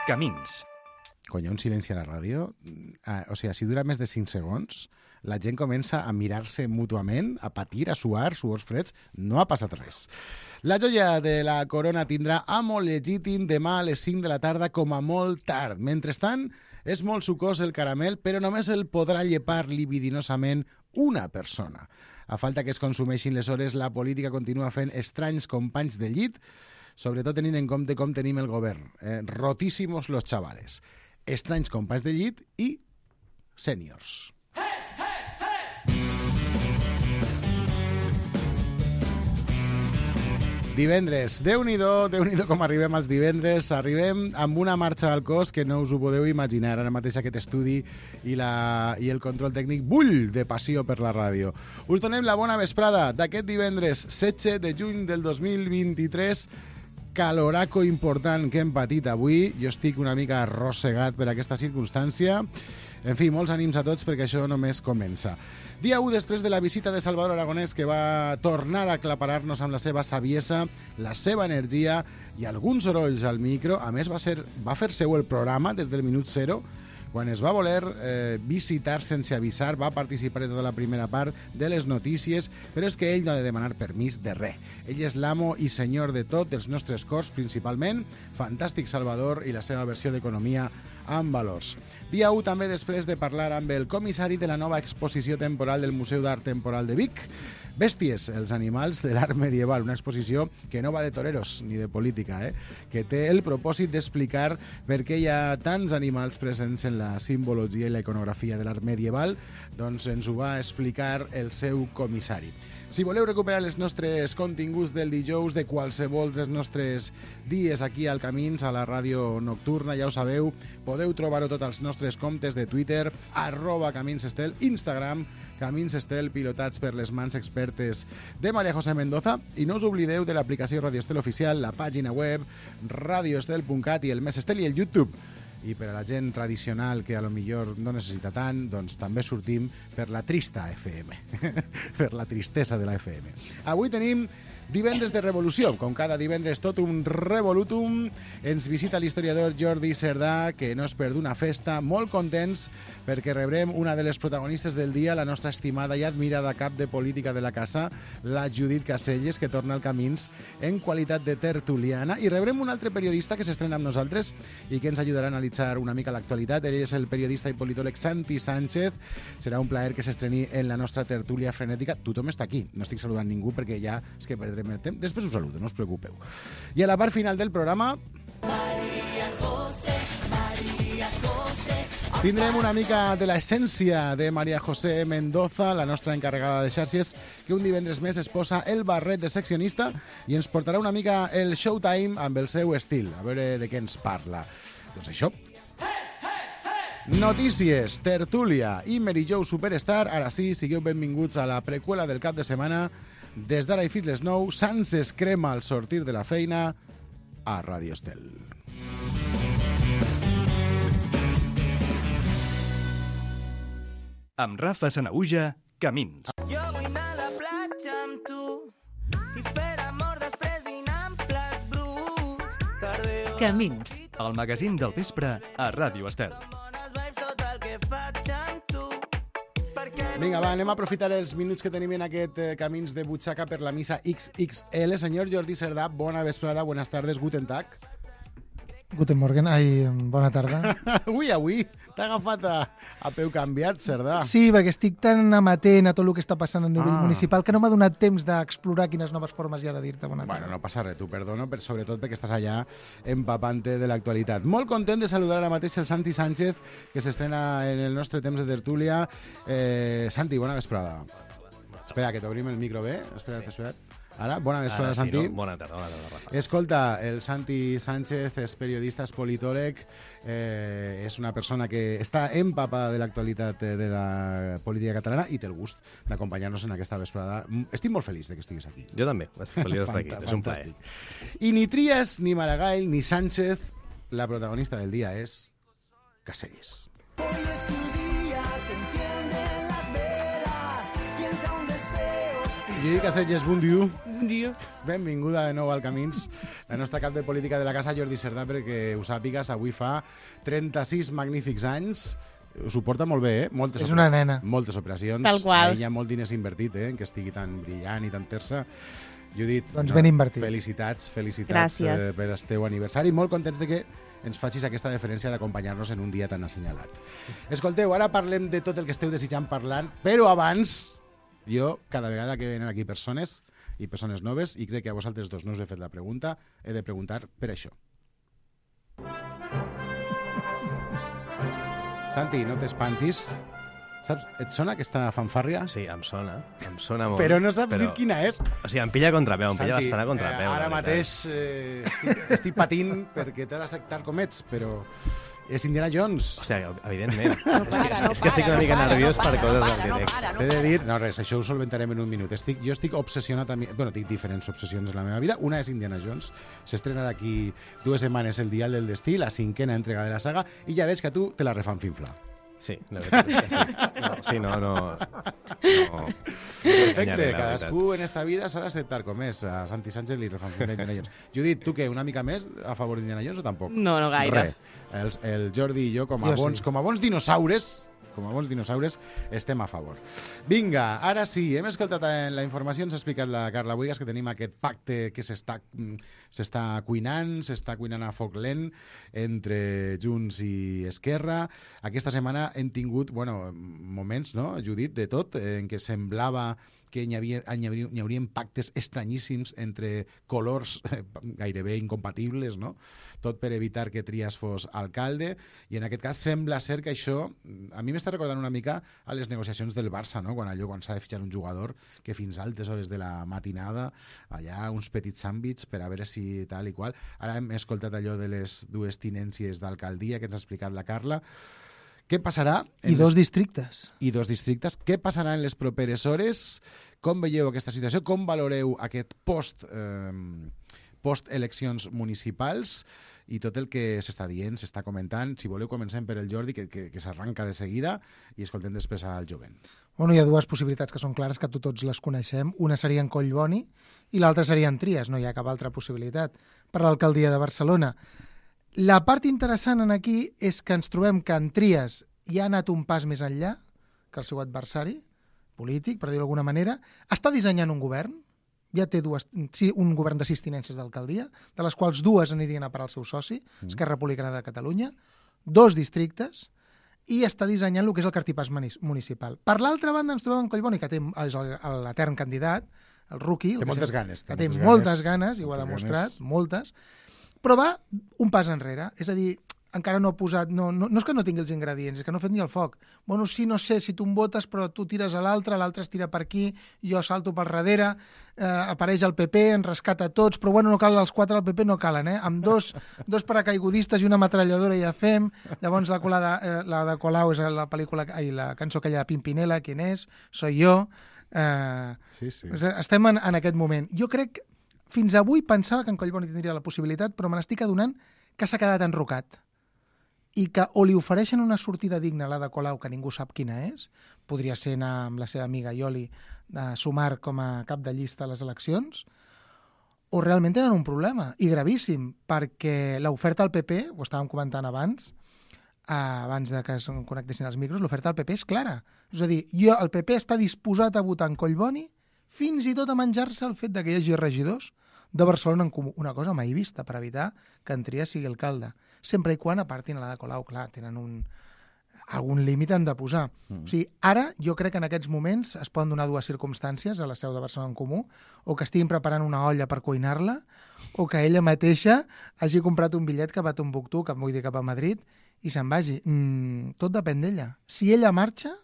Camins. Quan hi ha un silenci a la ràdio, o sigui, si dura més de 5 segons, la gent comença a mirar-se mútuament, a patir, a suar, suors freds. No ha passat res. La joia de la corona tindrà amo legítim demà a les 5 de la tarda com a molt tard. Mentrestant, és molt sucós el caramel, però només el podrà llepar libidinosament una persona. A falta que es consumeixin les hores, la política continua fent estranys companys de llit, sobretot tenint en compte com tenim el govern. Rotíssimos los chavales. Estranys companys de llit i sèniors. Divendres, Déu-n'hi-do com arribem als divendres. Arribem amb una marxa al cos que no us ho podeu imaginar. Ara mateix aquest estudi i el control tècnic bull de passió per la ràdio. Us donem la bona vesprada d'aquest divendres 16 de juny del 2023. Caloraco important que hem patit avui. Jo estic una mica arrossegat per aquesta circumstància. En fi, molts ànims a tots perquè això només comença. Dia 1 després de la visita de Salvador Aragonès, que va tornar a aclaparar-nos amb la seva saviesa, la seva energia i alguns sorolls al micro. A més, va fer seu el programa des del minut 0. Quan es va voler visitar sense avisar, va participar de tota la primera part de les notícies, però és que ell no ha de demanar permís de res. Ell és l'amo i senyor de tot, dels nostres cors principalment. Fantàstic Salvador i la seva versió d'economia amb valors. Dia 1 també després de parlar amb el comissari de la nova exposició temporal del Museu d'Art Temporal de Vic, Bèsties, els animals de l'art medieval, una exposició que no va de toreros ni de política, que té el propòsit d'explicar per què hi ha tants animals presents en la simbologia i la iconografia de l'art medieval. Doncs ens ho va explicar el seu comissari. Si voleu recuperar els nostres continguts del dijous, de qualsevol dels nostres dies aquí al Camins, a la ràdio nocturna, ja ho sabeu, podeu trobar-ho tots als nostres comptes de Twitter, @CaminsEstel, Instagram, CaminsEstel, pilotats per les mans expertes de María José Mendoza. I no us oblideu de l'aplicació Radio Estel Oficial, la pàgina web, radioestel.cat i el Més Estel i el YouTube. I per a la gent tradicional que a lo millor no necessita tant, doncs també sortim per la trista FM, per la tristesa de la FM. Avui tenim divendres de revolució, com cada divendres tot un revolutum. Ens visita l'historiador Jordi Cerdà, que no es perd una festa, molt contents perquè rebrem una de les protagonistes del dia, la nostra estimada i admirada cap de política de la casa, la Judit Caselles, que torna al Camins en qualitat de tertuliana, i rebrem un altre periodista que s'estrena amb nosaltres i que ens ajudarà a analitzar una mica l'actualitat. Ell és el periodista i politòleg Santi Sánchez. Serà un plaer que s'estreni en la nostra tertúlia frenètica. Tothom està aquí, no estic saludant ningú perquè ja és que perdrem el temps. Després us saludo, no us preocupeu. I a la part final del programa tindrem una mica de l'essència de María José Mendoza, la nostra encarregada de xarxes, que un divendres més es posa el barret de seccionista i ens portarà una mica el showtime amb el seu estil. A veure de què ens parla. Doncs això. Notícies, tertúlia i Mary Jo Superstar. Ara sí, sigueu benvinguts a la preqüela del cap de setmana. Des d'ara i fins les 9, Sans es crema al sortir de la feina a Radio Estel. Amb Rafa Sanaüja, Camins. Jo vull anar a la platja amb tu i fer amor després dinar amb plats bruts. Tardeo. Camins. El magazín del vespre a Ràdio Estel. Vinga, va, anem a aprofitar els minuts que tenim en aquest Camins de butxaca per la missa XXL. Senyor Jordi Cerdà, bona vesprada, buenas tardes, guten tag. Guten Morgen, bona tarda. Avui t'ha agafat a peu canviat, Cerdà. Sí, perquè estic tan amatent a tot el que està passant a nivell municipal que no m'ha donat temps d'explorar quines noves formes hi ha de dir-te bona tarda. Bueno, no passa res, t'ho perdono, però sobretot perquè estàs allà empapant-te de l'actualitat. Molt content de saludar ara mateix el Santi Sánchez, que s'estrena en el nostre temps de tertúlia. Santi, bona vesprada. Espera, que t'obrim el micro bé. Espera't. Ara, bona vesprada, Santi. No? Bona tarda, Rafa. Escolta, el Santi Sánchez és periodista, és politòleg, és una persona que està empapada de l'actualitat de la política catalana i té el gust d'acompanyar-nos en aquesta vesprada. Estic molt feliç de que estiguis aquí. Jo també, estic feliç d'estar aquí, és un plaer. I ni Trias, ni Maragall, ni Sánchez, la protagonista del dia és Caselles. Hoy es tu día, se encienden las velas, piensa un deseo y Lluïca Selles, bon dia. Bon dia. Benvinguda de nou al Camins, la nostra cap de política de la casa, Jordi Cerdà, perquè ho sàpigues, avui fa 36 magnífics anys. S'ho porta molt bé, És una nena. Moltes operacions. Tal qual. Hi ha molt diners invertit, en que estigui tan brillant i tan terça. Judit, Doncs ben invertits. Felicitats Gràcies. per el teu aniversari. Molt contents de que ens facis aquesta deferència d'acompanyar-nos en un dia tan assenyalat. Escolteu, ara parlem de tot el que esteu desitjant parlant, però abans, jo, cada vegada que venen aquí persones i persones noves, i crec que a vosaltres dos no us he fet la pregunta, he de preguntar per això. Santi, no t'espantis. Saps, et sona aquesta fanfàrria? Sí, em sona molt. Però no saps dir quina és. O sigui, em pilla a contrapeu, em pilla Santi, bastant a contrapeu. ara la veritat. mateix estic patint perquè t'he d'acceptar com ets, però és Indiana Jones. Hòstia, evidentment. És que estic una mica nerviós per coses del directe. T'he de dir, no res, això ho solventarem en un minut. Jo estic obsessionat amb... Bueno, tinc diferents obsessions en la meva vida. Una és Indiana Jones. S'estrena d'aquí 2 setmanes el Dial del Destí, la 5ª entrega de la saga, i ja veig que a tu te la refan finfla. Sí, la veritat és que sí. No. Perfecte, cadascú en esta vida s'ha d'acceptar com és. A Santi Sánchez li refan finfla Indiana Jones. Judit, tu què, una mica més a favor d'Indiana Jones o tampoc? No gaire. Res. El Jordi i jo, com a bons dinosaures, estem a favor. Vinga, ara sí, hem escoltat en la informació, ens ha explicat la Carla Buigas que tenim aquest pacte que s'està cuinant a foc lent entre Junts i Esquerra. Aquesta setmana hem tingut moments, no, Judit, de tot, en què semblava que hi haurien pactes estranyíssims entre colors gairebé incompatibles, no? Tot per evitar que Trias fos alcalde, i en aquest cas sembla ser que això, a mi m'està recordant una mica a les negociacions del Barça, no? Quan s'ha de fitxar un jugador que fins a altes hores de la matinada, allà uns petits àmbits per a veure si tal i qual. Ara hem escoltat allò de les 2 tinències d'alcaldia que ens ha explicat la Carla. Què passarà? I 2 districtes. I 2 districtes. Què passarà en les properes hores? Com veieu aquesta situació? Com valoreu aquest post-eleccions municipals i tot el que s'està dient, s'està comentant? Si voleu, comencem per el Jordi, que s'arranca de seguida, i escoltem després al jovent. Bueno, hi ha 2 possibilitats que són clares, que tots les coneixem. Una seria en Collboni i l'altra seria en Trias. No hi ha cap altra possibilitat per l'alcaldia de Barcelona. La part interessant en aquí és que ens trobem que en Trias ja ha anat un pas més enllà que el seu adversari polític, per dir-ho d'alguna manera. Està dissenyant un govern, ja té un govern de 6 tinències d'alcaldia, de les quals 2 anirien a parar al seu soci, Esquerra Republicana de Catalunya, 2 districtes, i està dissenyant el que és el cartipàs municipal. Per l'altra banda ens trobem en Collboni, que és l'etern candidat, el rookie, té moltes ganes. Que té moltes ganes, i ho ha demostrat, moltes, però va un pas enrere, és a dir, encara no ha posat... No és que no tingui els ingredients, és que no ha fet ni el foc. Bueno, sí, no sé, si tu em votes, però tu tires a l'altre es tira per aquí, jo salto per darrere, apareix el PP, ens rescata tots, però bueno, no cal els 4 del PP, no calen, Amb dos paracaigudistes i una metralladora ja fem. Llavors la de Colau és la pel·lícula, la cançó aquella de Pimpinela, ¿quién és? Soy yo. Sí. Estem en aquest moment. Jo crec, fins avui pensava que en Collboni tindria la possibilitat, però me n'estic adonant que s'ha quedat enrocat i que o li ofereixen una sortida digna a la de Colau, que ningú sap quina és, podria ser anar amb la seva amiga Ioli a sumar com a cap de llista a les eleccions, o realment tenen un problema, i gravíssim, perquè l'oferta al PP, ho estàvem comentant abans de que es connectessin els micros, l'oferta al PP és clara. És a dir, el PP està disposat a votar en Collboni fins i tot a menjar-se el fet que hi hagi regidors de Barcelona en Comú. Una cosa mai vista per evitar que en Trias sigui alcalde. Sempre i quan apartin a la de Colau, clar, tenen algun límit han de posar. O sigui, ara jo crec que en aquests moments es poden donar 2 circumstàncies a la seu de Barcelona en Comú, o que estiguin preparant una olla per cuinar-la, o que ella mateixa hagi comprat un bitllet cap a Tombuctú, vull dir cap a Madrid, i se'n vagi. Tot depèn d'ella. Si ella marxa,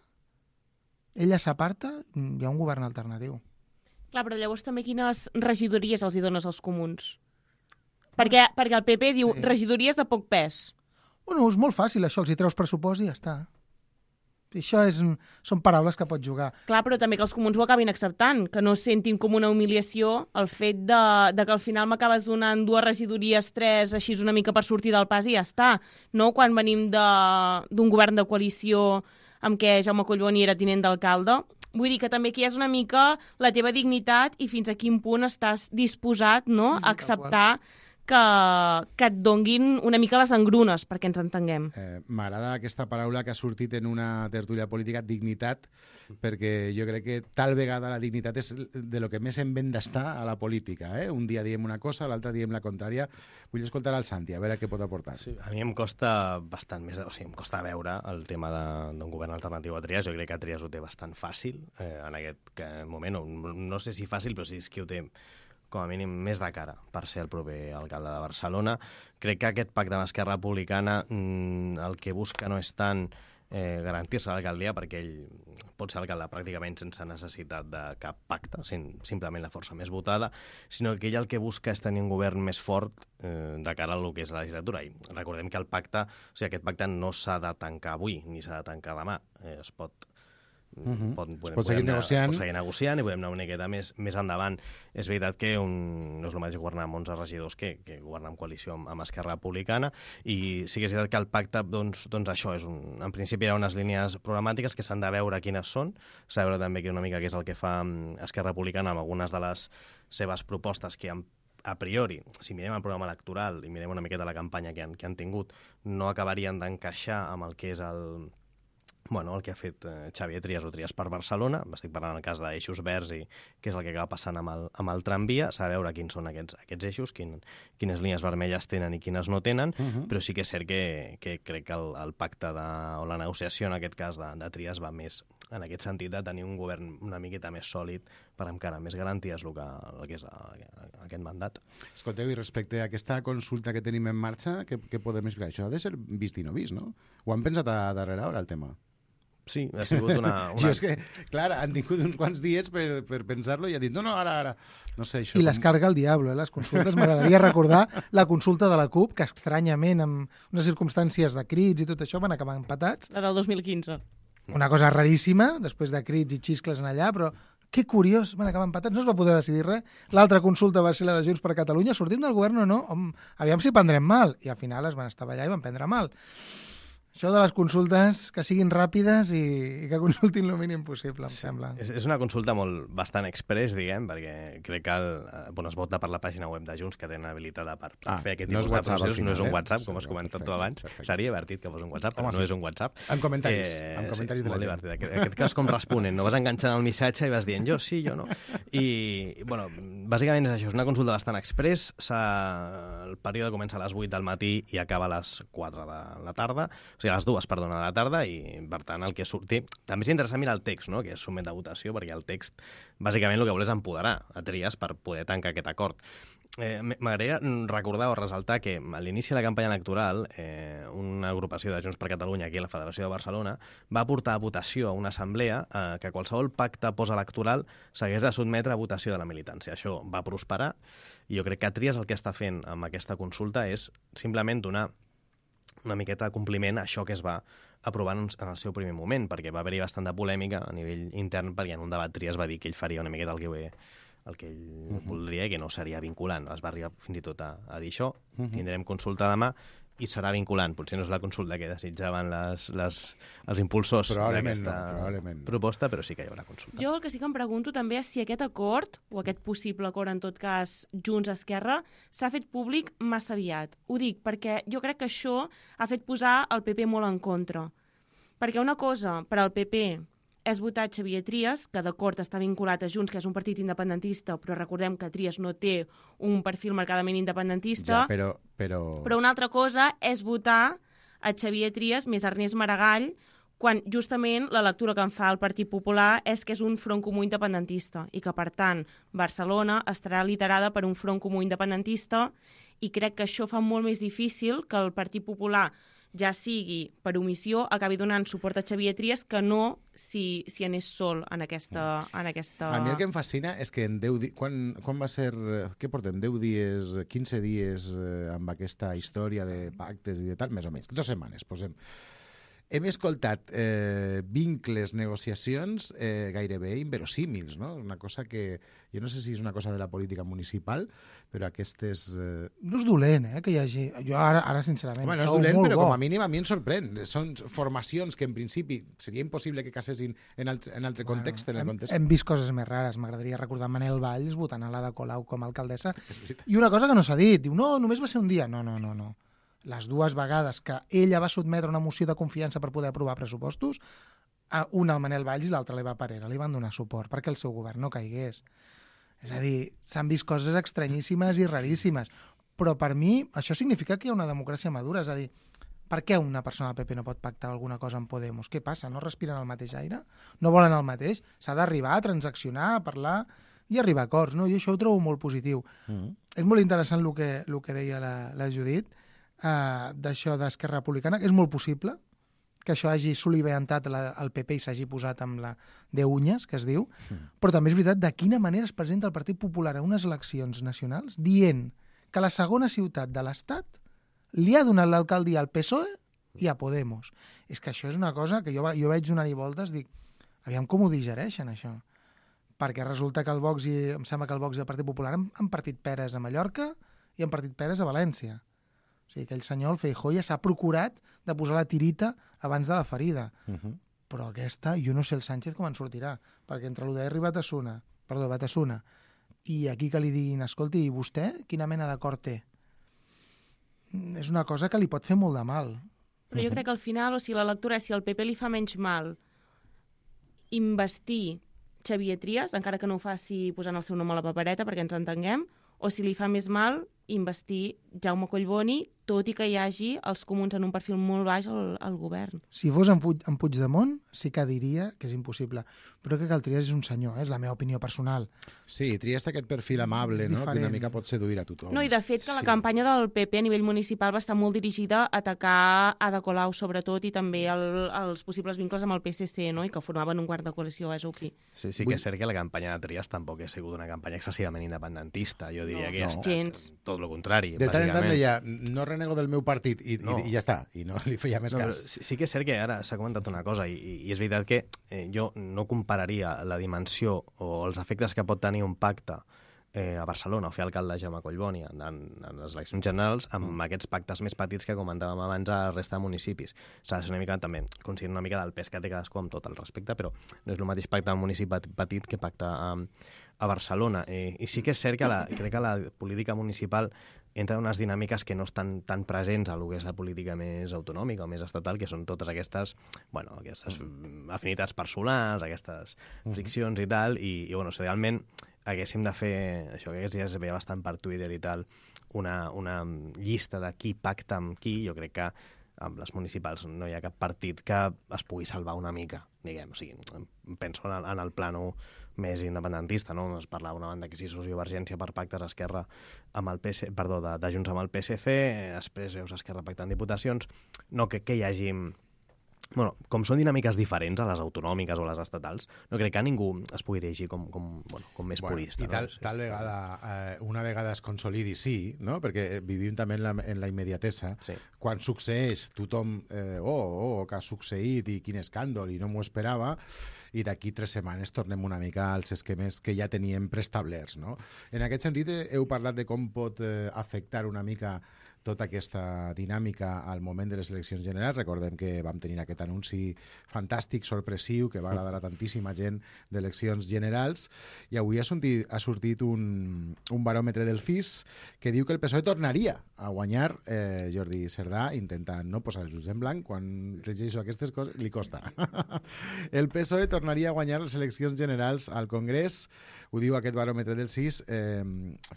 ella s'aparta, hi ha un govern alternatiu. Clar, però llavors també quines regidories els hi dones als comuns? Perquè el PP diu regidories de poc pes. Bueno, és molt fàcil, això, els hi treus pressupost i ja està. Això són paraules que pots jugar. Clar, però també que els comuns ho acabin acceptant, que no sentin com una humiliació el fet de que al final m'acabes donant 2 regidories, 3, així una mica per sortir del pas i ja està. No quan venim d'un govern de coalició amb què Jaume Collboni era tinent d'alcalde. Vull dir que també aquí és una mica la teva dignitat i fins a quin punt estàs disposat, no?, a acceptar que et donguin una mica les engrunes, perquè ens entenguem. M'agrada aquesta paraula que ha sortit en una tertúlia política, dignitat, perquè jo crec que tal vegada la dignitat és de lo que més hem ben d'estar a la política. Un dia diem una cosa, l'altre diem la contrària. Vull escoltar al Santi, a veure què pot aportar. Sí, a mi em costa bastant més, o sigui, em costa veure el tema d'un govern alternatiu a Trias. Jo crec que Trias ho té bastant fàcil en aquest moment. No sé si fàcil, però sí és qui ho té com a mínim més de cara per ser el proper alcalde de Barcelona. Crec que aquest pacte amb Esquerra Republicana el que busca no és tant garantir-se l'alcaldia, perquè ell pot ser alcalde pràcticament sense necessitat de cap pacte, simplement la força més votada, sinó que ell el que busca és tenir un govern més fort de cara a lo que és la legislatura. I recordem que el pacte, o sigui, aquest pacte no s'ha de tancar avui, ni s'ha de tancar demà. Es pot seguir negociant. Es pot seguir negociant i podem anar una miqueta més endavant. És veritat que no és el mateix governar amb 11 regidors que governar en coalició amb Esquerra Republicana, i sí que és veritat que el pacte, doncs això, en principi hi ha unes línies programàtiques que s'han de veure quines són, s'ha de veure també una mica què és el que fa Esquerra Republicana amb algunes de les seves propostes que a priori, si mirem el programa electoral i mirem una miqueta la campanya que han tingut, no acabarien d'encaixar amb el que és el que ha fet Xavier Trias o Trias per Barcelona. Estic parlant en el cas d'eixos verds i què és el que acaba passant amb el tramvia. S'ha de veure quins són aquests eixos, quines línies vermelles tenen i quines no tenen, però sí que és cert que crec que el pacte o la negociació, en aquest cas de Trias, va més en aquest sentit de tenir un govern una miqueta més sòlid per encara més garanties el que és aquest mandat. Escolteu, i respecte a aquesta consulta que tenim en marxa, què podem explicar? Això ha de ser vist i no vist, no? Ho han pensat a darrere hora, el tema? Sí, ha sigut una... Jo és que, clar, han tingut uns quants dies per pensar-lo i han dit, no, ara. No sé, això... I les carga el diable, les consultes. M'agradaria recordar la consulta de la CUP, que estranyament, amb unes circumstàncies de crits i tot això, van acabar empatats. La del 2015. Una cosa raríssima, després de crits i xiscles en allà, però que curiós, van acabar empatats, no es va poder decidir res. L'altra consulta va ser la de Junts per Catalunya, sortim del govern o no? Aviam si prendrem mal. I al final es van estar allà i van prendre mal. Això de les consultes, que siguin ràpides i que consultin el mínim possible, em sembla. És una consulta bastant express, diguem, perquè crec que es vota per la pàgina web de Junts, que tenen habilitada per fer aquest tipus de processos. No és un WhatsApp, com has comentat tu abans. Seria divertit que fos un WhatsApp, però no és un WhatsApp. Amb comentaris de la gent. En aquest cas, com responen? No vas enganxant el missatge i vas dient jo sí, jo no. I, bàsicament és això, és una consulta bastant express. El període comença a les 8 del matí i acaba a les 4 de la tarda. O sigui, a les 2, de la tarda, i per tant el que surti... També és interessant mirar el text, no?, que es sotmet a votació, perquè el text bàsicament el que vol és empoderar a Trias per poder tancar aquest acord. M'agradaria recordar o resaltar que a l'inici de la campanya electoral una agrupació de Junts per Catalunya aquí a la Federació de Barcelona va portar a votació a una assemblea que qualsevol pacte postelectoral s'hagués de sotmetre a votació de la militància. Això va prosperar i jo crec que Trias el que està fent amb aquesta consulta és simplement donar una miqueta de compliment a això que es va aprovar en el seu primer moment, perquè va haver-hi bastant de polèmica a nivell intern, perquè en un debat Trias va dir que ell faria una miqueta el que ell voldria i que no seria vinculant. Es va arribar fins i tot a dir això. Tindrem consulta demà i serà vinculant. Potser no és la consulta que desitjaven els impulsors d'aquesta proposta, però sí que hi haurà consulta. Jo el que sí que em pregunto també és si aquest acord, o aquest possible acord, en tot cas, Junts-Esquerra, s'ha fet públic massa aviat. Ho dic perquè jo crec que això ha fet posar el PP molt en contra. Perquè una cosa per al PP és votar Xavier Trias, que d'acord està vinculat a Junts, que és un partit independentista, però recordem que Trias no té un perfil marcadament independentista. Ja, però una altra cosa és votar a Xavier Trias més Ernest Maragall, quan justament la lectura que en fa el Partit Popular és que és un front comú independentista i que, per tant, Barcelona estarà liderada per un front comú independentista, i crec que això fa molt més difícil que el Partit Popular, ja sigui per omissió, acabi donant suport a Xavier Trias que no si anés sol en aquesta... A mi el que em fascina és que en 10 dies... Quan va ser... Què portem? 10 dies, 15 dies amb aquesta història de pactes i de tal, més o menys. 2 setmanes, posem. hem escoltat vincles, negociacions gairebé inverosímils, no? Una cosa que... Jo no sé si és una cosa de la política municipal, però aquestes... No és dolent, que hi hagi... Jo ara sincerament... Home, no és dolent, però com a mínim a mi em sorprèn. Són formacions que en principi seria impossible que casessin en altre context. Hem vist coses més rares. M'agradaria recordar Manel Valls votant a l'Ada Colau com a alcaldessa. I una cosa que no s'ha dit. Diu, no, només va ser un dia. No. Les dues vegades que ella va sotmetre una moció de confiança per poder aprovar pressupostos, una al Manel Valls i l'altra a l'Eva Parera. Li van donar suport perquè el seu govern no caigués. És a dir, s'han vist coses estranyíssimes i raríssimes. Però per mi això significa que hi ha una democràcia madura. És a dir, per què una persona del PP no pot pactar alguna cosa amb Podemos? Què passa? No respiren el mateix aire? No volen el mateix? S'ha d'arribar a transaccionar, a parlar i arribar a acords, no? I això ho trobo molt positiu. És molt interessant el que deia la Judit, d'això d'Esquerra Republicana, que és molt possible que això hagi soliviantat el PP i s'hagi posat amb la de uñas, que es diu, però també és veritat de quina manera es presenta el Partit Popular a unes eleccions nacionals dient que la segona ciutat de l'Estat li ha donat l'alcaldia al PSOE i a Podemos. És que això és una cosa que jo vaig donar-hi voltes, dic, aviam com ho digereixen, això. Perquè resulta que em sembla que el Vox i el Partit Popular han partit peres a Mallorca i han partit peres a València. O sigui, aquell senyor, el Feijóo, ja s'ha procurat de posar la tirita abans de la ferida. Però aquesta, jo no sé el Sánchez com en sortirà, perquè entre l'UDR i Batasuna, i aquí que li diguin, escolti, i vostè quina mena d'acord té? És una cosa que li pot fer molt de mal. Però jo crec que al final, o sigui, la lectura és si al PP li fa menys mal investir Xavier Trias, encara que no ho faci posant el seu nom a la papereta perquè ens entenguem, o si li fa més mal investir Jaume Collboni, tot i que hi hagi els comuns en un perfil molt baix al govern. Si fos en Puigdemont, sí que diria que és impossible. Però crec que el Trias és un senyor, és la meva opinió personal. Sí, Trias té aquest perfil amable, no? Que una mica pot seduir a tothom. No, i de fet que la campanya del PP a nivell municipal va estar molt dirigida a atacar Ada Colau, sobretot, i també els possibles vincles amb el PSC, no? I que formaven un quart de coalició, és obvi. Sí que és cert que la campanya de Trias tampoc ha sigut una campanya excessivament independentista. Jo diria que ha estat tot el contrari. De tant en tant deia, no renego del meu partit i ja està, i no li feia més cas. Sí que és cert que ara s'ha comentat una cosa i és veritat que jo no compararia la dimensió o els efectes que pot tenir un pacte a Barcelona o fer alcalde Jaume Collboni en les eleccions generals amb aquests pactes més petits que comentàvem abans a la resta de municipis. S'ha de ser una mica també conscient una mica del pes que té cadascú amb tot el respecte, però no és el mateix pacte en un municipi petit que pacte a Barcelona. I sí que és cert que crec que la política municipal entra en unes dinàmiques que no estan tan presents a lo que és la política més autonòmica o més estatal, que són totes aquestes afinitats personals, aquestes friccions i tal, i si realment haguéssim de fer, això que aquests dies es veia bastant per Twitter i tal, una llista de qui pacta amb qui, jo crec que amb les municipals no hi ha cap partit que es pugui salvar una mica, diguem. O sigui, penso en el plano més independentista, no? Es parlava una banda que si sociovergència per pactes Esquerra amb el de Junts amb el PSC, després veus Esquerra pactant diputacions, no que hi hagi... Bueno, com són dinàmiques diferents a les autonòmiques o a les estatals, no crec que ningú es pugui dirigir com més purista. I tal vegada, una vegada es consolidi, sí, no? Perquè vivim també en la immediatesa. Sí. Quan succeeix, tothom, que ha succeït i quin escàndol, i no m'ho esperava, i d'aquí 3 setmanes tornem una mica als esquemes que ja teníem preestablerts, no? En aquest sentit, heu parlat de com pot afectar una mica tota aquesta dinàmica al moment de les eleccions generals. Recordem que vam tenir aquest anunci fantàstic, sorpressiu, que va agradar a tantíssima gent d'eleccions generals, i avui ha sortit un baròmetre del FIS que diu que el PSOE tornaria a guanyar. Jordi Cerdà intenta no posar els ulls en blanc, quan llegeixo aquestes coses li costa. El PSOE tornaria a guanyar les eleccions generals al Congrés, ho diu aquest baròmetre del CIS,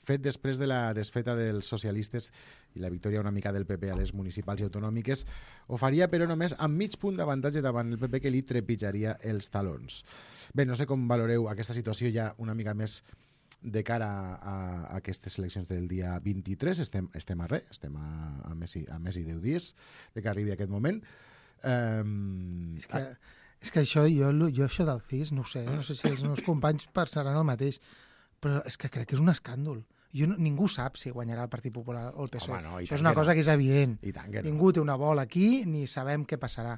fet després de la desfeta dels socialistes i la victòria una mica del PP a les municipals i autonòmiques. Ho faria, però només amb mig punt d'avantatge davant el PP, que li trepitjaria els talons. Bé, no sé com valoreu aquesta situació ja una mica més de cara a aquestes eleccions del dia 23. Estem a res, estem a més i 10 dies de que arribi aquest moment. És que això, jo això del CIS, no sé si els meus companys pensaran el mateix, però és que crec que és un escàndol. Ningú sap si guanyarà el Partit Popular o el PSOE. Home, no, això és una cosa que és evident. Ningú té una bola aquí, ni sabem què passarà.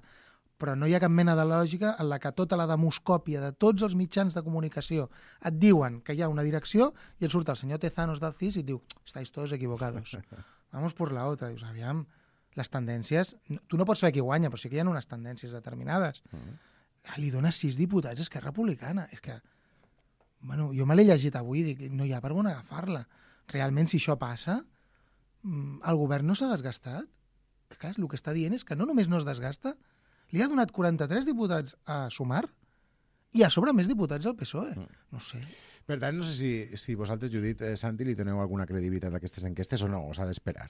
però no hi ha cap mena de lògica en la que tota la demoscòpia de tots els mitjans de comunicació et diuen que hi ha una direcció i et surt el senyor Tezanos del CIS i et diu, estáis todos equivocados, vamos por la otra. Dius, aviam, les tendències... Tu no pots saber qui guanya, però sí que hi ha unes tendències determinades. Li dona 6 diputats a Esquerra Republicana. És que... Bueno, jo me l'he llegit avui i dic, no hi ha per on agafar-la. Realment, si això passa, el govern no s'ha desgastat. Clar, el que està dient és que no només no es desgasta, li ha donat 43 diputats a Sumar i a sobre més diputats al PSOE. No sé. Per tant, no sé si vosaltres, Judit, Santi, li doneu alguna credibilitat a aquestes enquestes o no, o s'ha d'esperar.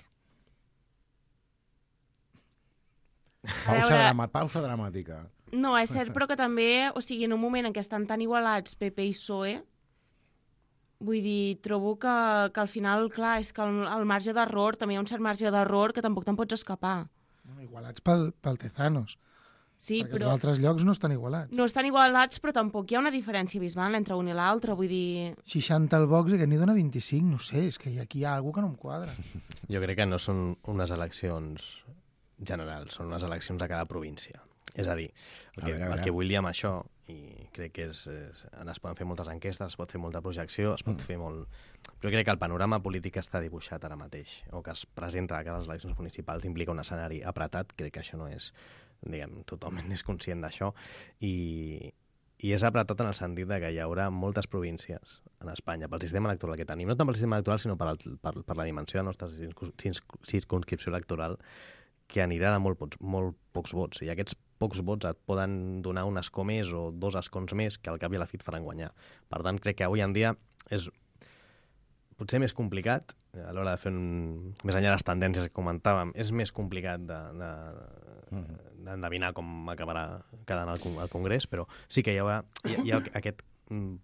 Pausa dramàtica. No, és cert, però que també, o sigui, en un moment en què estan tan igualats PP i PSOE, vull dir, trobo que al final, clar, és que el marge d'error, també hi ha un cert marge d'error que tampoc te'n pots escapar. Igualats pel Tezanos. Sí, perquè però... els altres llocs no estan igualats. No estan igualats, però tampoc hi ha una diferència abismal entre un i l'altre, vull dir... 60 al Vox i que n'hi dona 25, no sé, és que aquí hi ha alguna cosa que no em quadra. Jo crec que no són unes eleccions generals, són unes eleccions a cada província. És a dir, el que vull dir amb això, i crec que es poden fer moltes enquestes, es pot fer molta projecció, es pot fer molt... Però crec que el panorama polític està dibuixat ara mateix, o que es presenta a cada eleccions municipals implica un escenari apretat, crec que això no és, diguem, totalment és conscient d'això, i és apretat en el sentit de que hi haurà moltes províncies en Espanya pel sistema electoral que tenim, no tant pel sistema electoral, sinó per la dimensió de la nostra circunscripció electoral, que anirà de molt pocs vots, i aquests pocs vots et poden donar un escó més o 2 escons més que al cap i a la fi et faran guanyar. Per tant, crec que avui en dia és potser més complicat, a l'hora de fer més enllà de les tendències que comentàvem, és més complicat d'endevinar com acabarà quedant el Congrés, però sí que hi ha aquest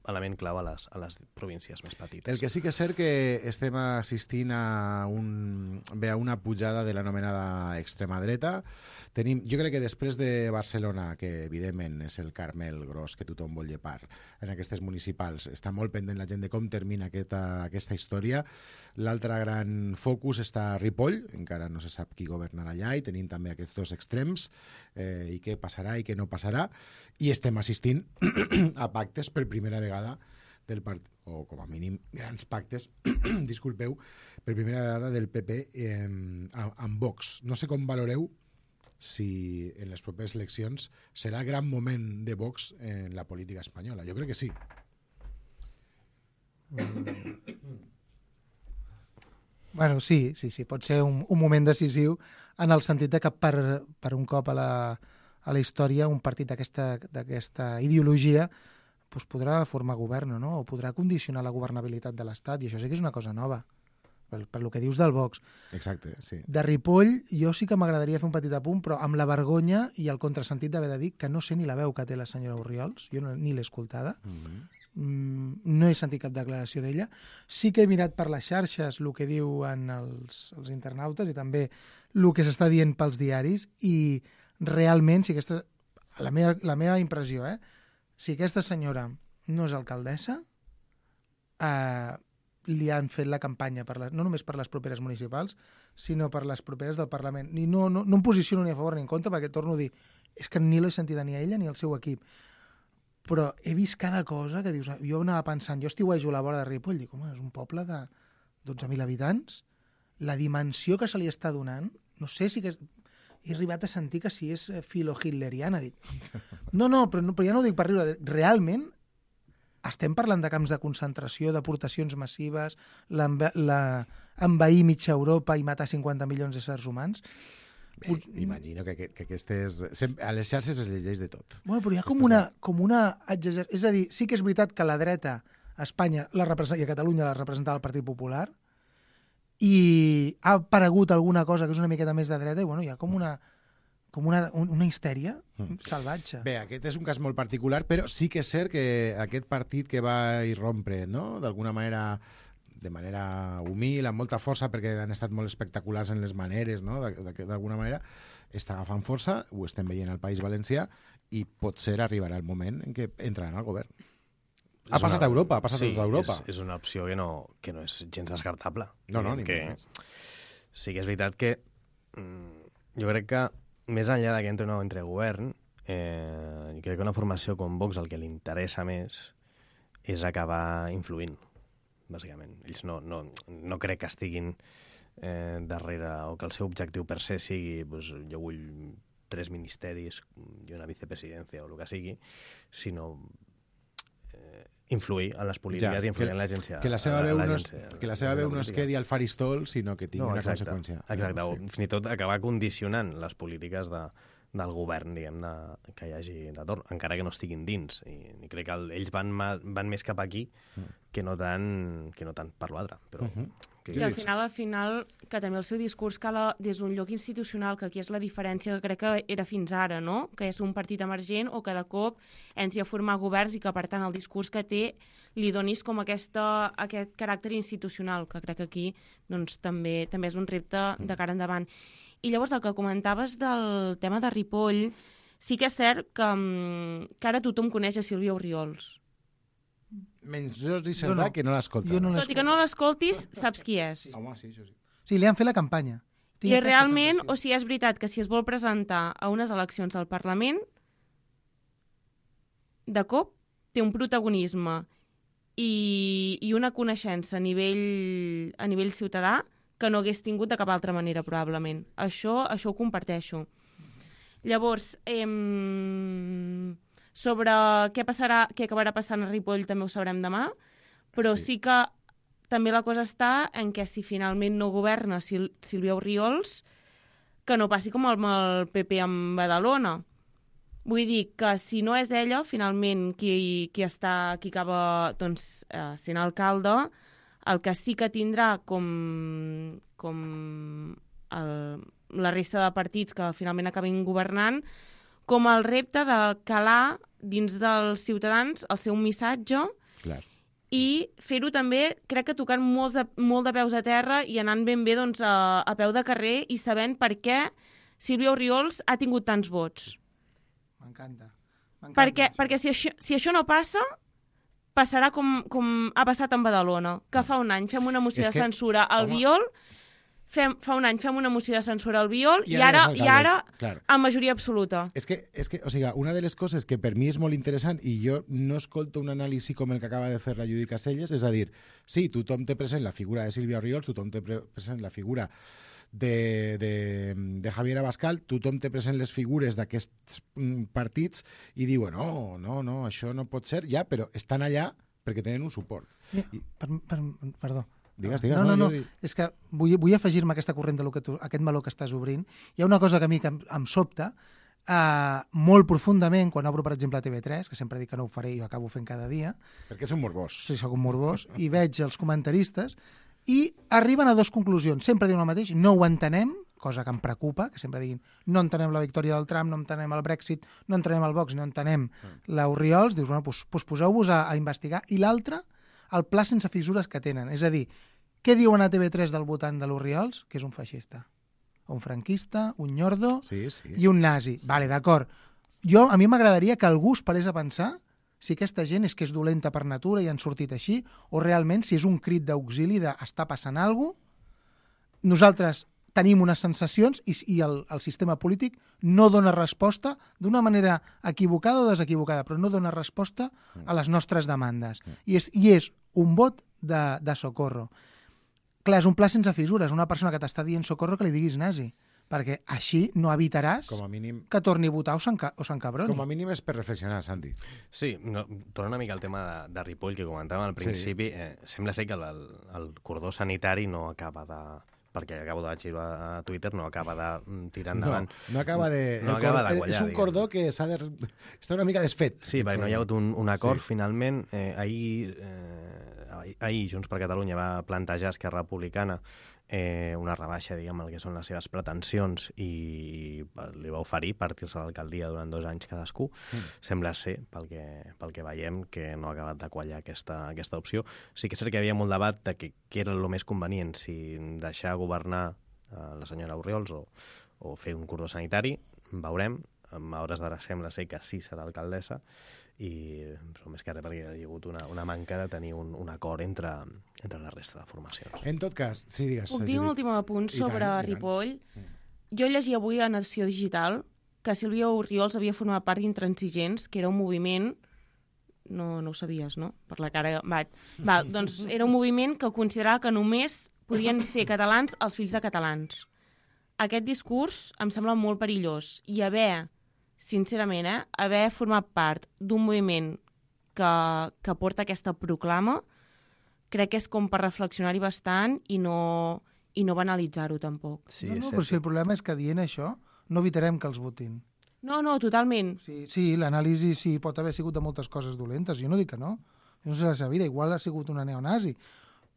element clau a les províncies més petites. El que sí que és cert que estem assistint a una pujada de l'anomenada extrema dreta. Jo crec que després de Barcelona, que evidentment és el Carmel gros que tothom vol llepar en aquestes municipals, està molt pendent la gent de com termina aquesta història. L'altre gran focus està a Ripoll, encara no se sap qui governarà allà, i tenim també aquests 2 extrems, i què passarà i què no passarà, i estem assistint a pactes per primera vegada del partit, o com a mínim grans pactes, disculpeu, per primera vegada del PP amb Vox. No sé com valoreu si en les properes eleccions serà el gran moment de Vox en la política espanyola. Jo crec que sí. Bueno, sí, pot ser un moment decisiu en el sentit de que per un cop a la història un partit d'aquesta ideologia doncs podrà formar govern, no? O podrà condicionar la governabilitat de l'Estat, i això sí que és una cosa nova, per lo que dius del Vox. Exacte, sí. De Ripoll, jo sí que m'agradaria fer un petit apunt, però amb la vergonya i el contrasentit d'haver de dir que no sé ni la veu que té la senyora Orriols, jo ni l'he escoltada, no he sentit cap declaració d'ella. Sí que he mirat per les xarxes el que diuen els internautes i també el que s'està dient pels diaris, i realment, si aquesta, la meva impressió, si aquesta senyora no és alcaldessa, li han fet la campanya no només per les properes municipals, sinó per les properes del Parlament. I no em posiciono ni a favor ni en contra, perquè torno a dir, és que ni l'he sentida ni a ella ni al seu equip. Però he vist cada cosa que dius... Jo anava pensant, jo estiuejo a la vora de Ripoll, dic, home, és un poble de 12.000 habitants, la dimensió que se li està donant, no sé si que he arribat a sentir que si és filo-hitleriana. Dic, no, però ja no ho dic per riure, realment estem parlant de camps de concentració, deportacions massives, envair mitja Europa i matar 50 milions d'éssers humans. Bé, imagino que aquestes... A les xarxes es llegeix de tot. Bueno, però hi ha com una exageració. És a dir, sí que és veritat que la dreta a Espanya i a Catalunya la representava el Partit Popular, i ha aparegut alguna cosa que és una miqueta més de dreta, i bueno, hi ha com una histèria salvatge. Bé, aquest és un cas molt particular, però sí que és cert que aquest partit que va irrompre, no?, d'alguna manera, de manera humil, amb molta força, perquè han estat molt espectaculars en les maneres, no?, d'alguna manera, està agafant força, ho estem veient al País Valencià, i potser arribarà el moment en què entraran al govern. Ha passat a Europa, ha passat a tota Europa. És una opció que no és gens descartable. No, ni més. Sí que és veritat que jo crec que més enllà de que entre o no entre govern, crec que una formació com Vox el que li interessa més és acabar influint, bàsicament. Ells no crec que estiguin darrere, o que el seu objectiu per se sigui doncs, jo vull 3 ministeris i una vicepresidència o el que sigui, sinó influir en les polítiques i influir en l'agència. Que la seva veu no es quedi al faristol, sinó que tingui una conseqüència. Exacte, o fins i tot acabar condicionant les polítiques del govern, diguem-ne, que hi hagi de torn, encara que no estiguin dins. I crec que ells van més cap aquí que no tant per l'altre. Però I al final, que també el seu discurs cala des d'un lloc institucional, que aquí és la diferència que crec que era fins ara, no? Que és un partit emergent o que de cop entri a formar governs i que, per tant, el discurs que té li donis com aquest caràcter institucional, que crec que aquí doncs, també és un repte de cara endavant. I llavors el que comentaves del tema de Ripoll, sí que és cert que ara tothom coneix a Sílvia Orriols. Menys Jordi Cerdà, que no l'escolta. Tot i que no l'escoltis, saps qui és. Home, sí, això sí. Sí, li han fet la campanya. I realment, o sigui, és veritat que si es vol presentar a unes eleccions al Parlament, de cop té un protagonisme i una coneixença a nivell ciutadà que no hagués tingut de cap altra manera, probablement. Això ho comparteixo. Llavors, sobre què acabarà passant a Ripoll també ho sabrem demà, però sí que també la cosa està en què si finalment no governa Sílvia Orriols, que no passi com amb el PP amb Badalona. Vull dir que si no és ella, finalment, qui acaba doncs, sent alcalde, el que sí que tindrà com la resta de partits que finalment acabin governant, com el repte de calar dins dels ciutadans el seu missatge. Clar. I fer-ho també, crec que tocant molt de peus a terra i anant ben bé doncs, a peu de carrer i sabent per què Sílvia Orriols ha tingut tants vots. M'encanta. Perquè si això no passa, passarà com ha passat amb Badalona, que fa un any fem una moció de censura al Biol, fa un any fem una moció de censura al Biol i ara amb majoria absoluta. És que, o sigui, una de les coses que per mi és molt interessant i jo no escolto un anàlisi com el que acaba de fer la Judit Caselles, és a dir, sí, tothom té present la figura de Sílvia Orriols, tothom té present la figura de Javier Abascal, tothom té present les figures d'aquests partits i diuen, no, això no pot ser, ja, però estan allà perquè tenen un suport. Perdó. Digues. No. És que vull afegir-me a aquesta corrent aquest meló que estàs obrint. Hi ha una cosa que a mi em sobta molt profundament quan obro, per exemple, a TV3, que sempre dic que no ho faré i ho acabo fent cada dia. Perquè és un morbós. Sí, soc un morbós. I veig els comentaristes i arriben a 2 conclusions. Sempre diuen el mateix, no ho entenem, cosa que em preocupa, que sempre diguin no entenem la victòria del Trump, no entenem el Brexit, no entenem el Vox, no entenem l'Orriols. Dius, bueno, doncs poseu-vos a investigar. I l'altre, el pla sense fissures que tenen. És a dir, què diuen a TV3 del votant de l'Orriols? Que és un feixista, un franquista, un nyordo i un nazi. Vale, d'acord. A mi m'agradaria que algú es parés a pensar si aquesta gent és que és dolenta per natura i han sortit així, o realment si és un crit d'auxili d'està passant alguna cosa. Nosaltres tenim unes sensacions i el sistema polític no dona resposta d'una manera equivocada o desequivocada, però no dona resposta a les nostres demandes. I és un vot de socorro. Clar, és un pla sense fissures. Una persona que t'està dient socorro que li diguis nazi, perquè així no evitaràs que torni a votar o s'encabroni. Com a mínim és per reflexionar, Santi. Sí, torna una mica al tema de Ripoll que comentàvem al principi. Sembla ser que el cordó sanitari no acaba de... perquè acabo de xivar a Twitter, no acaba de tirar endavant. No acaba de quallar. És un cordó que està una mica desfet. Sí, perquè no hi ha hagut un acord, finalment. Ahir Junts per Catalunya va plantejar a Esquerra Republicana una rebaixa, diguem, el que són les seves pretensions i li va oferir partir-se a l'alcaldia durant 2 anys cadascú. Sembla ser, pel que veiem, que no ha acabat de quallar aquesta opció. Sí que és cert que hi havia molt debat de què era el més convenient, si deixar governar la senyora Orriols o fer un cordó sanitari. Veurem. A hores d'ara sembla ser que sí serà alcaldessa però més que res perquè hi ha hagut una manca de tenir un acord entre la resta de formacions. En tot cas, sí, digues. Puc dir un últim apunt sobre Ripoll? Jo llegia avui a Nació Digital que Sílvia Orriols havia format part d'Intransigents, que era un moviment... No ho sabies, no? Per la cara... Doncs era un moviment que considerava que només podien ser catalans els fills de catalans. Aquest discurs em sembla molt perillós i sincerament, haver format part d'un moviment que porta aquesta proclama, crec que és com per reflexionar-hi bastant i no banalitzar-ho tampoc. Sí, Però si el problema és que dient això no evitarem que els votin. No, totalment. Sí, l'anàlisi sí pot haver sigut de moltes coses dolentes, jo no dic que no. Jo no sé la seva vida, igual ha sigut una neonazi.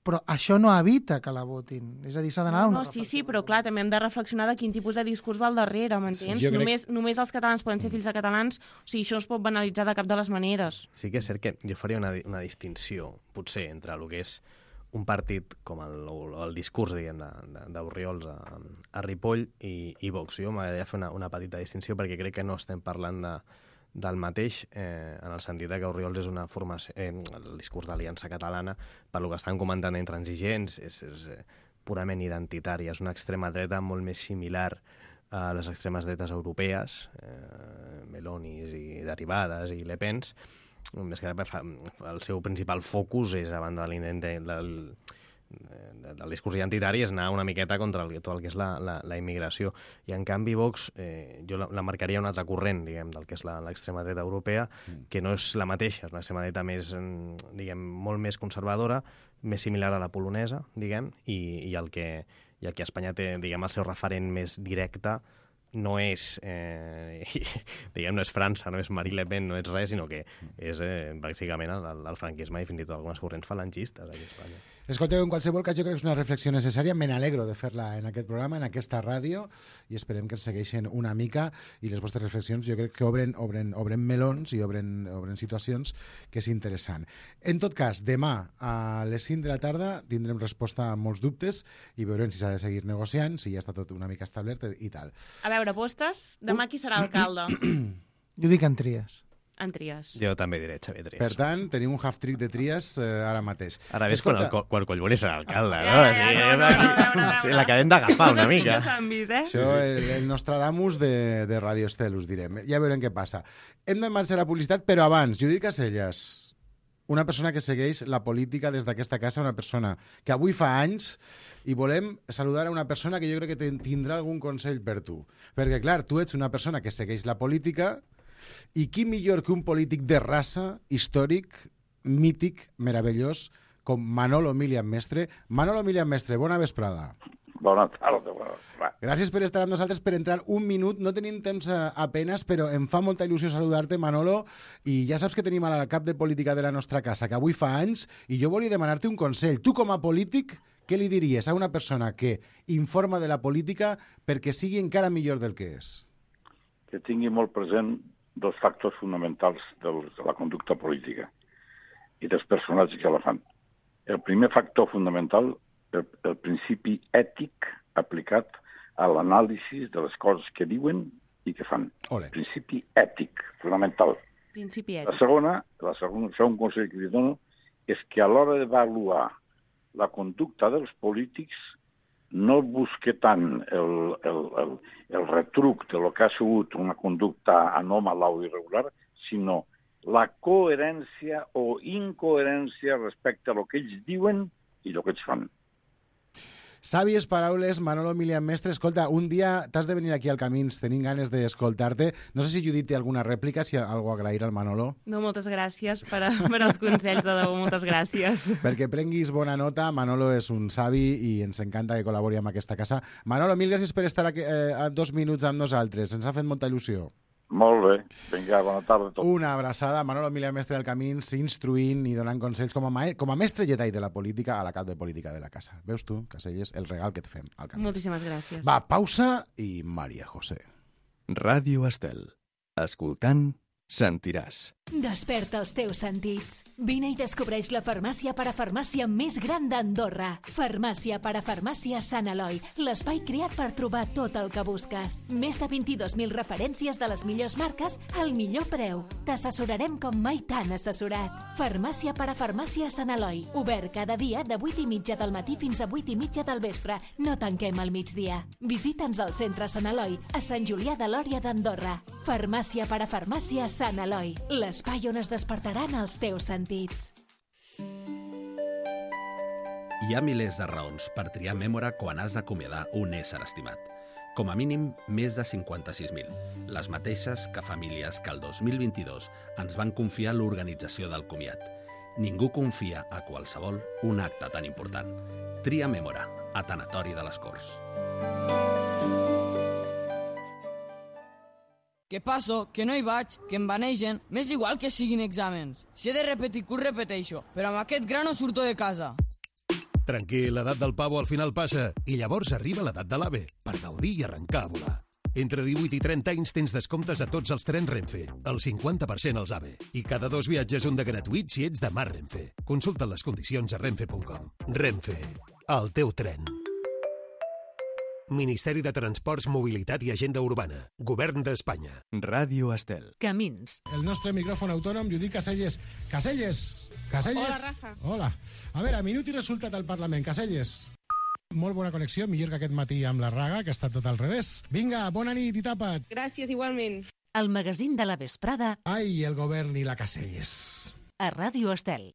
Però això no evita que la votin. És a dir, s'ha d'anar a una reflexió. Sí, però clar, també hem de reflexionar de quin tipus de discurs va al darrere, m'entens? Sí, només els catalans poden ser fills de catalans, o sigui, això no es pot banalitzar de cap de les maneres. Sí que és cert que jo faria una distinció, potser, entre el que és un partit com el discurs, diguem, d'Orriols a Ripoll i Vox. Jo m'agradaria fer una petita distinció perquè crec que no estem parlant del mateix, en el sentit que Orriols és una formació, el discurs d'Aliança Catalana, per lo que estan comentant d'intransigents, és purament identitari, és una extrema dreta molt més similar a les extremes dretes europees, Melonis i derivades i Le Pens, més que el seu principal focus és, a banda de l'intent del discurs identitari, és anar una miqueta contra tot el que és la immigració. I, en canvi, Vox, jo la marcaria un altre corrent, diguem, del que és l'extrema dreta europea, que no és la mateixa, és una extrema dreta més, diguem, molt més conservadora, més similar a la polonesa, diguem, i el que a Espanya té, diguem, el seu referent més directe no és, diguem, no és França, no és Marine Le Pen, no és res, sinó que és bàsicament el franquisme i fins i tot algunes corrents falangistes aquí a Espanya. Escolteu, en qualsevol cas, jo crec que és una reflexió necessària. Me n'alegro de fer-la en aquest programa, en aquesta ràdio, i esperem que ens segueixin una mica, i les vostres reflexions jo crec que obren melons i obren situacions que és interessant. En tot cas, demà a les 5 de la tarda tindrem resposta a molts dubtes i veurem si s'ha de seguir negociant, si ja està tot una mica establert i tal. A veure, apostes? Demà qui serà alcalde? Jo dic en Trias. En Trias. Jo també diré Xavier Trias. Per tant, tenim un half-trick de Trias ara mateix. Ara ves quan Collboni serà alcalde, no? Sí, l'acabem d'agafar una mica. Això, el Nostradamus de Radio Estel, us direm. Ja veurem què passa. Hem de marxar a la publicitat, però abans, Judit Caselles, una persona que segueix la política des d'aquesta casa, una persona que avui fa anys, i volem saludar a una persona que jo crec que tindrà algun consell per tu. Perquè, clar, tu ets una persona que segueix la política, i qui millor que un polític de raça, històric, mític, meravellós, com Manolo Milian Mestre. Manolo Milian Mestre, bona vesprada. Bona tarda. Gràcies per estar amb nosaltres, per entrar un minut. No tenim temps apenas, però em fa molta il·lusió saludar-te, Manolo, i ja saps que tenim al cap de política de la nostra casa, que avui fa anys, i jo volia demanar-te un consell. Tu, com a polític, què li diries a una persona que informa de la política perquè sigui encara millor del que és? Que tingui molt present dos factors fonamentals de la conducta política i dels personatges que la fan. El primer factor fonamental, el principi ètic aplicat a l'anàlisi de les coses que diuen i que fan. Ole. Principi ètic, fonamental. Principi La ètic. segona, segon consell que li dono, és que a l'hora d'avaluar la conducta dels polítics no busque tant el retruc de lo que ha sigut una conducta anòmala o irregular, sinó la coherència o incoherència respecte a lo que ells diuen i lo que ells fan. Sàvies paraules, Manolo Milian Mestre. Escolta, un dia t'has de venir aquí al Camins, tenim ganes d'escoltar-te. No sé si Judit té alguna rèplica, si hi ha alguna cosa a agrair al Manolo. No, moltes gràcies per als consells, de debò, moltes gràcies. Perquè prenguis bona nota, Manolo és un savi i ens encanta que col·labori amb aquesta casa. Manolo, mil gràcies per estar aquí, 2 minuts amb nosaltres. Ens ha fet molta il·lusió. Molt bé. Vinga, bona tarda a tots. Una abraçada. Manolo Milian Mestre del Camins, instruint i donant consells com a mestre Jedi de la política a la cap de política de la casa. Veus tu, Caselles, el regal que et fem al Camins. Moltíssimes gràcies. Va, pausa i Maria José. Ràdio Estel. Escoltant sentiràs. Desperta els teus sentits. Vine i descobreix la farmàcia parafarmàcia més gran d'Andorra. Farmàcia parafarmàcia Sant Eloi, l'espai creat per trobar tot el que busques. Més de 22.000 referències de les millors marques al millor preu. T'assessorarem com mai t'han assessorat. Farmàcia parafarmàcia Sant Eloi, obert cada dia de 8:30 del matí fins a 8:30 del vespre. No tanquem al migdia. Visita'ns al centre Sant Eloi, a Sant Julià de Lòria d'Andorra. Farmàcia parafarmàcia Sant Eloi, l'espai on es despertaran els teus sentits. Hi ha milers de raons per triar Mémora quan has d'acomiadar un ésser estimat. Com a mínim, més de 56.000. Les mateixes que famílies que el 2022 ens van confiar l'organització del comiat. Ningú confia a qualsevol un acte tan important. Tria Mémora, a Tanatori de les Corts. Què passo? Que no hi vaig, que em banegen. M'és igual que siguin exàmens. Si he de repetir curs, repeteixo. Però amb aquest gra no surto de casa. Tranquil, l'edat del pavo al final passa i llavors arriba l'edat de l'AVE per gaudir i arrencar a volar. Entre 18 i 30 anys tens descomptes a tots els trens Renfe, el 50% als AVE. I cada 2 viatges un de gratuït si ets de Mar Renfe. Consulta les condicions a renfe.com. Renfe, el teu tren. Ministeri de Transports, Mobilitat i Agenda Urbana. Govern d'Espanya. Ràdio Estel. Camins. El nostre micròfon autònom, Judit Caselles. Caselles! Caselles! Hola, Rafa. Hola. A veure, minut i resultat al Parlament. Caselles. Molt bona connexió, millor que aquest matí amb la Raga, que ha estat tot al revés. Vinga, bona nit i tapa't. Gràcies, igualment. El magazín de la vesprada Ai, el govern i la Caselles. a Ràdio Estel.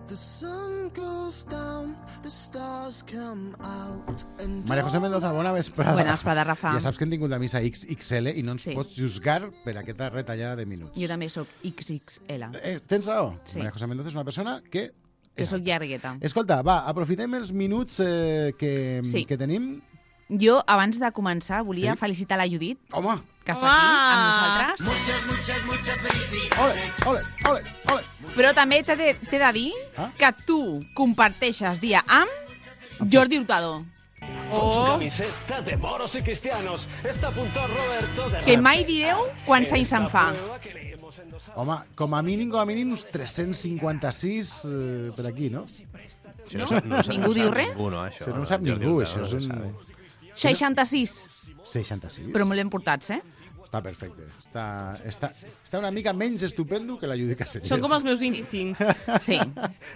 The sun goes down, the stars come out, and María José Mendoza, bona vesprada. Bona vesprada, Rafa. Ja saps que hem tingut la missa XXL i no ens Sí. pots juzgar per aquesta retallada de minuts. Jo també sóc XXL. Tens raó. Sí. María José Mendoza és una persona que... Que sóc llargueta. Escolta, va, aprofitem els minuts Sí. que tenim. Jo, abans de començar, volia Sí? felicitar la Judit, Home! que està aquí amb nosaltres. Ole, ole, ole, ole! Però també t'he de dir que tu comparteixes dia amb Jordi Hurtado. Con su camiseta de moros y cristianos. Está a punto Roberto de Que mai direu quants anys se'n fa. Home, com a mínim, uns 356 per aquí, no? Ningú diu res? Ningú, no, això. Això no ho sap ningú, això és un... 66. 66? Però molt ben portats, eh? Està perfecte. Està una mica menys estupendo que la Judit Caselles. Són com els meus 25. Sí.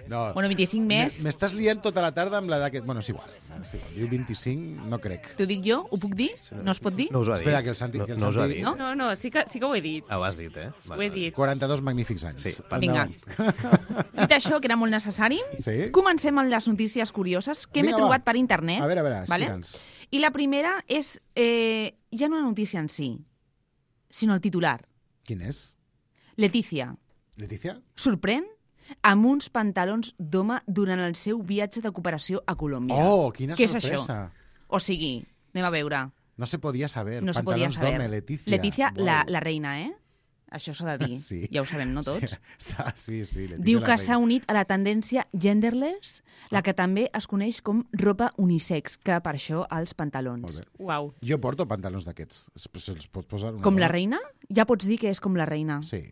No. Bueno, 25 més. M'estàs liant tota la tarda amb l'edat que... Bueno, és igual. Jo 25 no crec. T'ho dic jo? Ho puc dir? No es pot dir? No us ho ha dit. Espera, que el Santi... No us ho ha dit. No, sí que ho he dit. Ho has dit, eh? Ho he dit. 42 magnífics anys. Sí, Vinga. Dit això, que era molt necessari, Sí? comencem amb les notícies curioses que m'he Vinga, trobat va. per internet. A veure, vale? explica'ns. I la primera és ja no la notícia en si, sinó el titular. Quin és? Letícia Letícia? sorprèn amb uns pantalons d'home durant el seu viatge de cooperació a Colòmbia. Oh, quina Què és sorpresa. això? O sigui, anem a veure. No se podia saber. No se podia Pantalons saber. d'home, Letícia. Letícia, Wow. la reina, eh? Això s'ha de dir. Sí. Ja ho sabem, no tots? Sí, Letícia Diu la que reina. s'ha unit a la tendència genderless, la que també es coneix com ropa unisex, que per això els pantalons. Molt bé. Uau. Jo porto pantalons d'aquests. Se'ls pot posar una Com la dona? reina? Ja pots dir que és com la reina. Sí.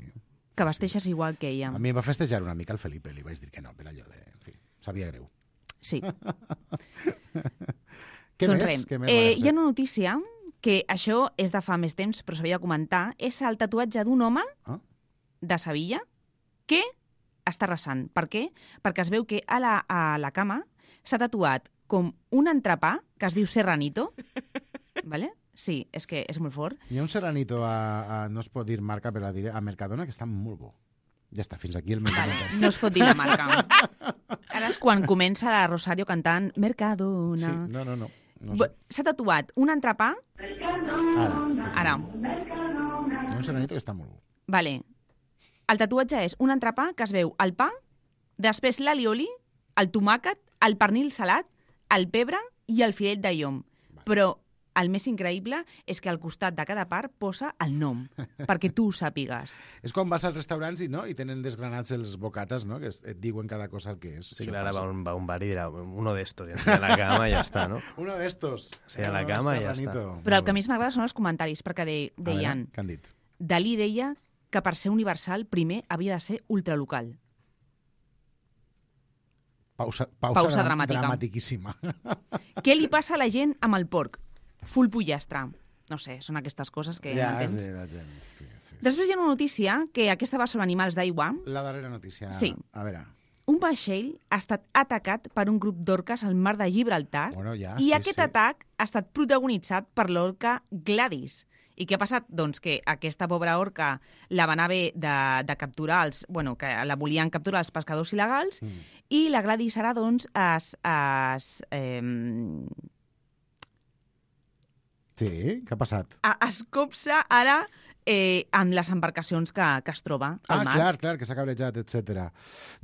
Que vesteixes igual que ella. A mi em va festejar una mica el Felipe. Li vaig dir que no, per allò de... En fi, sabia greu. Sí. Què Doncs més? res, Què més, Maria hi ha una notícia que això és de fa més temps, però s'havia de comentar. És el tatuatge d'un home Ah. de Sevilla que està resant. Per què? Perquè es veu que a la cama s'ha tatuat com un entrepà que es diu serranito. Vale? Sí, és que és molt fort. Hi ha un seranito no es pot dir marca, però la diré, a Mercadona, que està molt bo. Ja està, fins aquí el meu comentari. No es pot dir la marca. Ara és quan comença la Rosario cantant Mercadona. Sí, no. S'ha tatuat un entrepà. Ara. Hi ha un seranito que està molt bo. Vale. El tatuatge és un entrepà que es veu el pa, després l'alioli, el tomàquet, el pernil salat, el pebre i el filet de llom. Però el més increïble és que al costat de cada part posa el nom, perquè tu ho sàpigues. És quan vas als restaurants i tenen desgranats els bocates, no? Que et diuen cada cosa el que és. Sí, Això clar, passa. va a un bar i dirà uno de estos, i a la cama i ja està, no? Uno de estos. Sí, a la cama i ja està. Serranito. Però el que més m'agrada són els comentaris, perquè deien... Què han dit? Dalí deia que per ser universal primer havia de ser ultralocal. Pausa dramàtica. dramatiquíssima. Què li passa a la gent amb el porc? Full pollastre. No sé, són aquestes coses que Ja, m'entens. sí, la gent... Sí. Després hi ha una notícia, que aquesta va sobre animals d'aigua. La darrera notícia. Sí. A veure... Un vaixell ha estat atacat per un grup d'orques al mar de Gibraltar Bueno, ja, i sí, aquest sí. atac ha estat protagonitzat per l'orca Gladys. I què ha passat? Doncs que aquesta pobra orca la van haver de capturar, que la volien capturar els pescadors il·legals, i la Gladys ara, doncs, Sí, què ha passat? es copsa ara amb les embarcacions que es troba al mar. Clar, que s'ha cabrejat, etc.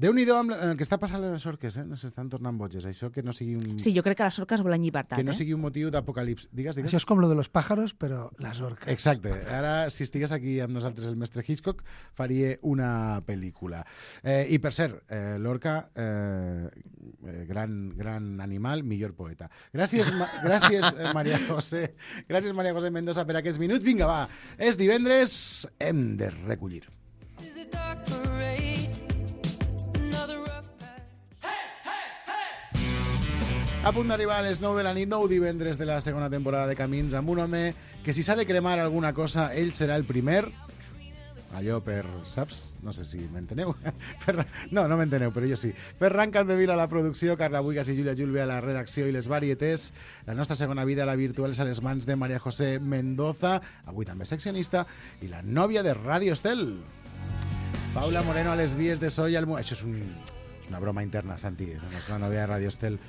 Déu-n'hi-do amb el que està passant a les orques, s'estan tornant boges. Això que no sigui un... Sí, jo crec que les orques volen llibertat. Que no sigui un motiu d'apocalips. Digues. Això és com lo de los pájaros, però les orques. Exacte. Ara, si estigués aquí amb nosaltres el mestre Hitchcock, faria una pel·lícula. I, per cert, l'orca, gran animal, millor poeta. Gràcies, Maria José. Gràcies, Maria José Mendoza, per aquests minuts. Vinga, va. És divendres, hem de recollir. A punt d'arribar a les 9 de la nit, 9 divendres de la segona temporada de Camins, amb un home que si s'ha de cremar alguna cosa, ell serà el primer. Allò per, saps? No sé si m'enteneu. No m'enteneu, però jo sí. Ferran Capdevila a la producció, Carla Buigas i Júlia Julve a la redacció i les varietés. La nostra segona vida, la virtual, és a les mans de Maria José Mendoza, avui també seccionista, i la nòvia de Radio Estel, Paula Moreno, a les vies de so i al... Això és una broma interna, Santi, la nostra nòvia de Radio Estel.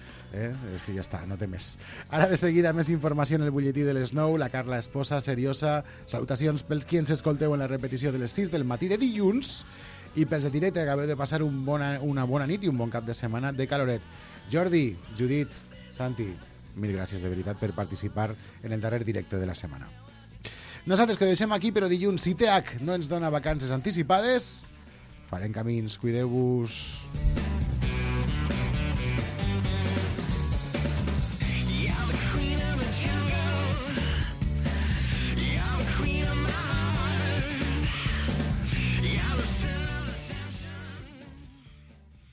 Sí, ja està, no té més. Ara de seguida més informació en el butlletí de les 9, la Carla Esposa, seriosa. Salutacions pels qui ens escolteu en la repetició de les 6 del matí de dilluns i pels de directe que acabeu de passar una bona nit i un bon cap de setmana de caloret. Jordi, Judit, Santi, mil gràcies de veritat per participar en el darrer directe de la setmana. Nosaltres que ho deixem aquí, però dilluns, si TH no ens dona vacances anticipades, farem camins, cuideu-vos.